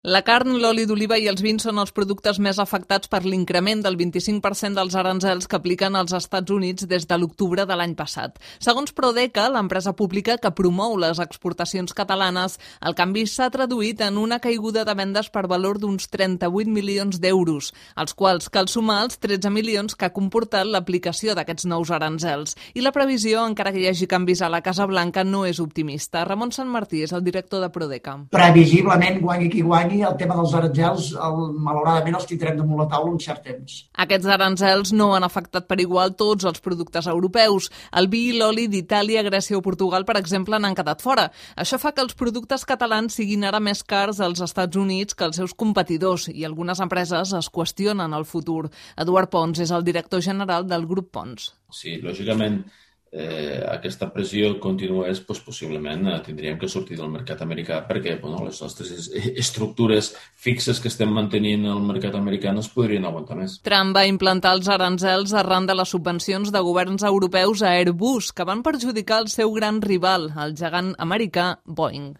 La carn, l'oli d'oliva i els vins són els productes més afectats per l'increment del 25% dels aranzels que apliquen als Estats Units des de l'octubre de l'any passat. Segons Prodeca, l'empresa pública que promou les exportacions catalanes, el canvi s'ha traduït en una caiguda de vendes per valor d'uns 38 milions d'euros, als quals cal sumar els 13 milions que ha comportat l'aplicació d'aquests nous aranzels. I la previsió, encara que hi hagi canvis a la Casa Blanca, no és optimista. Ramon Sanmartí és el director de Prodeca. Previsiblement, guanyi qui guanyi, el tema dels aranzels, malauradament, els tindrem damunt la taula un cert temps. Aquests aranzels no han afectat per igual tots els productes europeus. El vi i l'oli d'Itàlia, Grècia o Portugal, per exemple, n'han quedat fora. Això fa que els productes catalans siguin ara més cars als Estats Units que els seus competidors i algunes empreses es qüestionen el futur. Eduard Pons és el director general del grup Pons. Sí, lògicament, aquesta pressió continués, doncs, possiblement tindríem que sortir del mercat americà perquè les nostres estructures fixes que estem mantenint al mercat americà no es podrien aguantar més. Trump va implantar els aranzels arran de les subvencions de governs europeus a Airbus, que van perjudicar el seu gran rival, el gegant americà Boeing.